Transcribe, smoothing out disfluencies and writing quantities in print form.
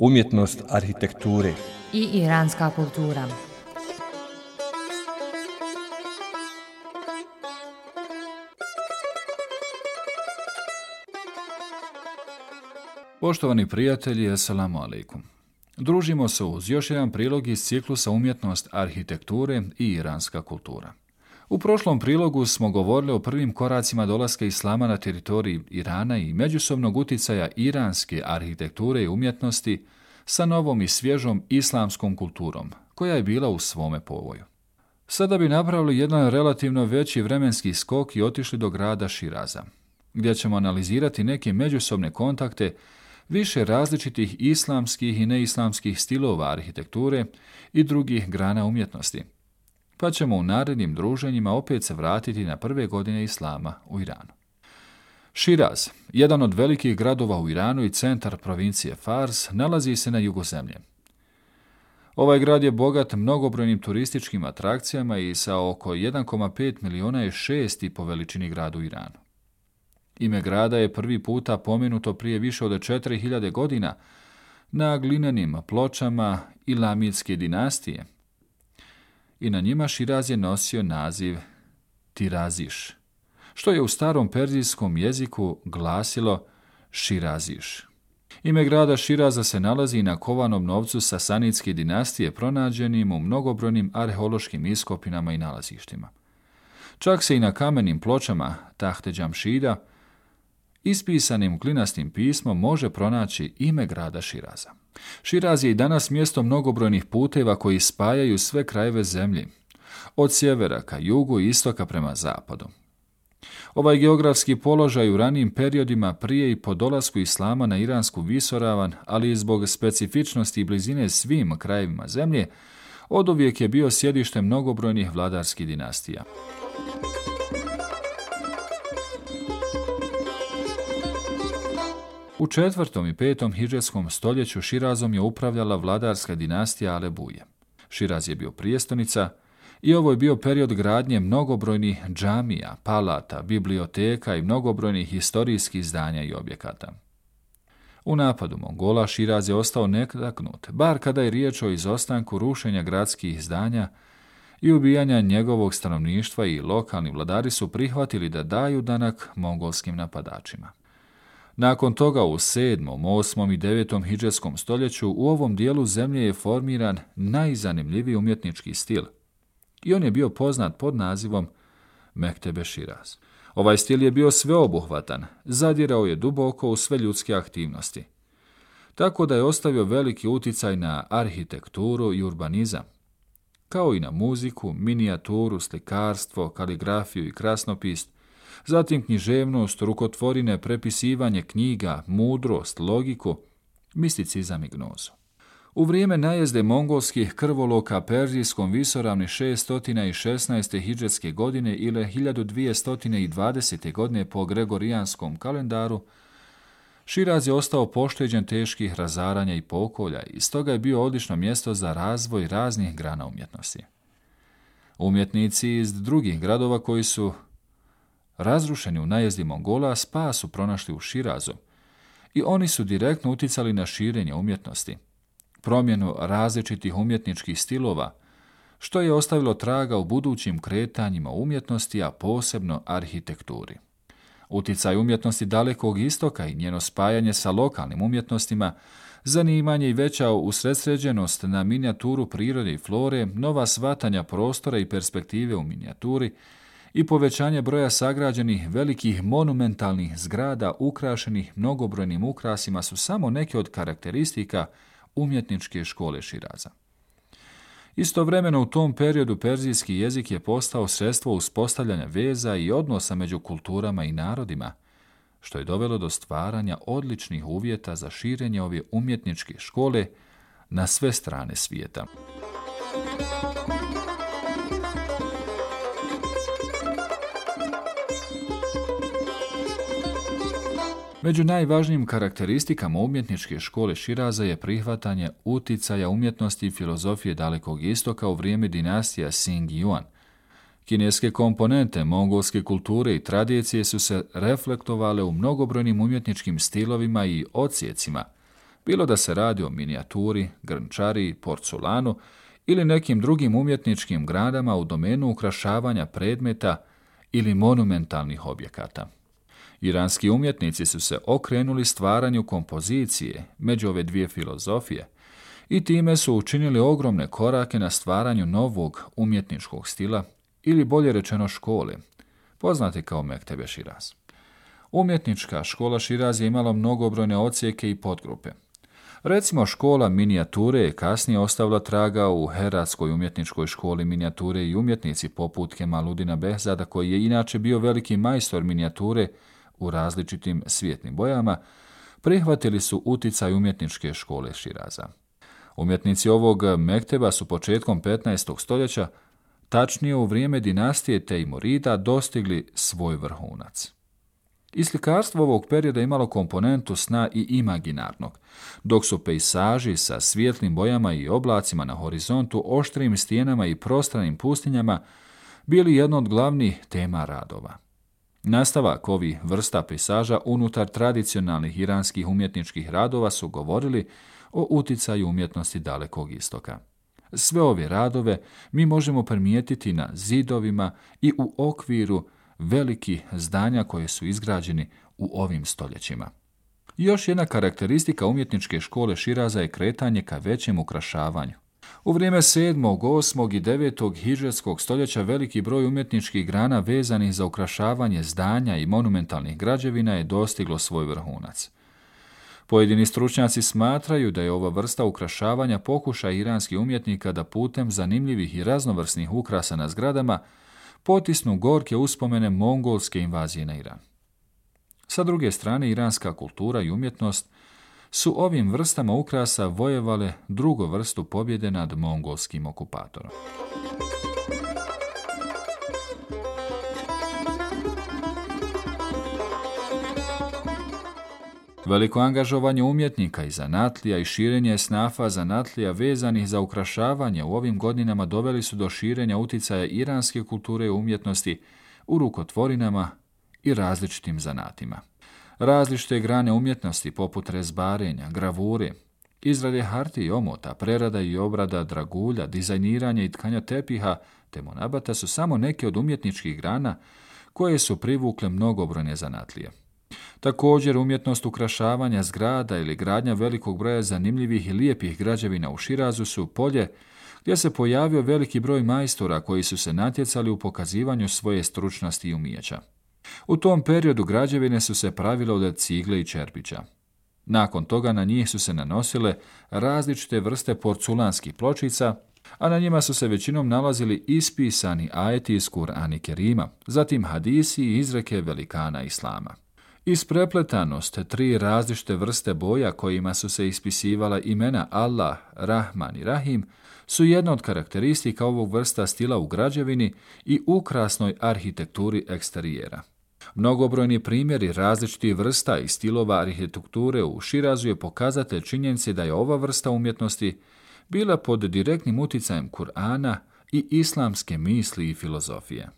umjetnost arhitekture i iranska kultura. Poštovani prijatelji, assalamu alaikum. Družimo se uz još jedan prilog iz ciklusa umjetnost arhitekture i iranska kultura. U prošlom prilogu smo govorili o prvim koracima dolaska islama na teritoriji Irana i međusobnog uticaja iranske arhitekture i umjetnosti sa novom i svježom islamskom kulturom, koja je bila u svome povoju. Sada bi napravili jedan relativno veći vremenski skok i otišli do grada Širaza, gdje ćemo analizirati neke međusobne kontakte više različitih islamskih i neislamskih stilova arhitekture i drugih grana umjetnosti, pa ćemo u narednim druženjima opet se vratiti na prve godine islama u Iranu. Širaz, jedan od velikih gradova u Iranu i centar provincije Fars, nalazi se na jugu zemlje. Ovaj grad je bogat mnogobrojnim turističkim atrakcijama i sa oko 1,5 miliona je šesti po veličini grad u Iranu. Ime grada je prvi puta pomenuto prije više od 4000 godina na glinenim pločama Ilamidske dinastije i na njima Širaz je nosio naziv Tiraziš, što je u starom perzijskom jeziku glasilo Širaziš. Ime grada Širaza se nalazi na kovanom novcu Sasanidske dinastije pronađenim u mnogobrojnim arheološkim iskopinama i nalazištima. Čak se i na kamenim pločama Tahte Džamšida ispisanim klinastim pismom može pronaći ime grada Širaza. Širaz je i danas mjesto mnogobrojnih puteva koji spajaju sve krajeve zemlje, od sjevera ka jugu i istoka prema zapadu. Ovaj geografski položaj u ranijim periodima prije i po dolasku islama na iransku visoravan, ali i zbog specifičnosti i blizine svim krajevima zemlje, oduvijek je bio sjedište mnogobrojnih vladarskih dinastija. U 4. i 5. hidžetskom stoljeću Širazom je upravljala vladarska dinastija Alebuje. Širaz je bio prijestolnica i ovo je bio period gradnje mnogobrojnih džamija, palata, biblioteka i mnogobrojnih historijskih zdanja i objekata. U napadu Mongola Širaz je ostao netaknut, bar kada je riječ o izostanku rušenja gradskih zdanja i ubijanja njegovog stanovništva, i lokalni vladari su prihvatili da daju danak mongolskim napadačima. Nakon toga u 7., 8. i 9. hidžetskom stoljeću u ovom dijelu zemlje je formiran najzanimljiviji umjetnički stil i on je bio poznat pod nazivom Mektebe Širaz. Ovaj stil je bio sveobuhvatan, zadirao je duboko u sve ljudske aktivnosti, tako da je ostavio veliki uticaj na arhitekturu i urbanizam, kao i na muziku, minijaturu, slikarstvo, kaligrafiju i krasnopis, zatim književnost, rukotvorine, prepisivanje knjiga, mudrost, logiku, misticizam i gnozu. U vrijeme najezde mongolskih krvoloka perzijskom visoravni 616. hidžetske godine ili 1220. godine po gregorijanskom kalendaru, Širaz je ostao pošteđen teških razaranja i pokolja i stoga je bio odlično mjesto za razvoj raznih grana umjetnosti. Umjetnici iz drugih gradova koji su razrušeni u najezdi Mongola spas su pronašli u Širazu i oni su direktno uticali na širenje umjetnosti, promjenu različitih umjetničkih stilova, što je ostavilo traga u budućim kretanjima umjetnosti, a posebno arhitekturi. Uticaj umjetnosti Dalekog istoka i njeno spajanje sa lokalnim umjetnostima, zanimanje i veća usredsređenost na minijaturu prirode i flore, nova shvatanja prostora i perspektive u minijaturi i povećanje broja sagrađenih velikih monumentalnih zgrada ukrašenih mnogobrojnim ukrasima su samo neke od karakteristika umjetničke škole Širaza. Istovremeno u tom periodu perzijski jezik je postao sredstvo uspostavljanja veza i odnosa među kulturama i narodima, što je dovelo do stvaranja odličnih uvjeta za širenje ove umjetničke škole na sve strane svijeta. Među najvažnijim karakteristikama umjetničke škole Širaza je prihvatanje uticaja umjetnosti i filozofije Dalekog istoka u vrijeme dinastija Sing-Yuan. Kineske komponente mongolske kulture i tradicije su se reflektovale u mnogobrojnim umjetničkim stilovima i odsjecima, bilo da se radi o minijaturi, grnčari, porculanu ili nekim drugim umjetničkim granama u domenu ukrašavanja predmeta ili monumentalnih objekata. Iranski umjetnici su se okrenuli stvaranju kompozicije među ove dvije filozofije i time su učinili ogromne korake na stvaranju novog umjetničkog stila ili bolje rečeno škole, poznate kao Mektebe Širaz. Umjetnička škola Širaz je imala mnogobrojne odsjeke i podgrupe. Recimo, škola minijature je kasnije ostavila traga u Heratskoj umjetničkoj školi minijature i umjetnici poput Kemaludina Behzada, koji je inače bio veliki majstor minijature u različitim svjetlim bojama, prihvatili su uticaj umjetničke škole Širaza. Umjetnici ovog mekteba su početkom 15. stoljeća, tačnije u vrijeme dinastije Tejmurida, dostigli svoj vrhunac. I slikarstvo ovog perioda imalo komponentu sna i imaginarnog, dok su pejsaži sa svijetlim bojama i oblacima na horizontu, oštrim stijenama i prostranim pustinjama bili jedno od glavnih tema radova. Nastavak ovih vrsta pejsaža unutar tradicionalnih iranskih umjetničkih radova su govorili o uticaju umjetnosti Dalekog istoka. Sve ove radove mi možemo primijetiti na zidovima i u okviru velikih zdanja koje su izgrađeni u ovim stoljećima. Još jedna karakteristika umjetničke škole Širaza je kretanje ka većem ukrašavanju. U vrijeme 7., 8. i 9. hidžretskog stoljeća veliki broj umjetničkih grana vezanih za ukrašavanje zdanja i monumentalnih građevina je dostiglo svoj vrhunac. Pojedini stručnjaci smatraju da je ova vrsta ukrašavanja pokušaj iranskih umjetnika da putem zanimljivih i raznovrsnih ukrasa na zgradama potisnu gorke uspomene mongolske invazije na Iran. Sa druge strane, iranska kultura i umjetnost su ovim vrstama ukrasa vojevale drugu vrstu pobjede nad mongolskim okupatorom. Veliko angažovanje umjetnika i zanatlija i širenje esnafa zanatlija vezanih za ukrašavanje u ovim godinama doveli su do širenja uticaja iranske kulture i umjetnosti u rukotvorinama i različitim zanatima. Različite grane umjetnosti poput rezbarenja, gravure, izrade hartije i omota, prerada i obrada dragulja, dizajniranja i tkanja tepiha te monabata su samo neke od umjetničkih grana koje su privukle mnogobrojne zanatlije. Također, umjetnost ukrašavanja zgrada ili gradnja velikog broja zanimljivih i lijepih građevina u Širazu su polje gdje se pojavio veliki broj majstora koji su se natjecali u pokazivanju svoje stručnosti i umijeća. U tom periodu građevine su se pravile od cigle i čerpića. Nakon toga na njih su se nanosile različite vrste porculanskih pločica, a na njima su se većinom nalazili ispisani ajeti iz Kur'ana Kerima, zatim hadisi i izreke velikana Islama. Isprepletanost 3 različite vrste boja kojima su se ispisivala imena Allah, Rahman i Rahim su jedna od karakteristika ovog vrsta stila u građevini i ukrasnoj arhitekturi eksterijera. Mnogobrojni primjeri različitih vrsta i stilova arhitekture u Širazu je pokazatelj činjenice da je ova vrsta umjetnosti bila pod direktnim uticajem Kur'ana i islamske misli i filozofije.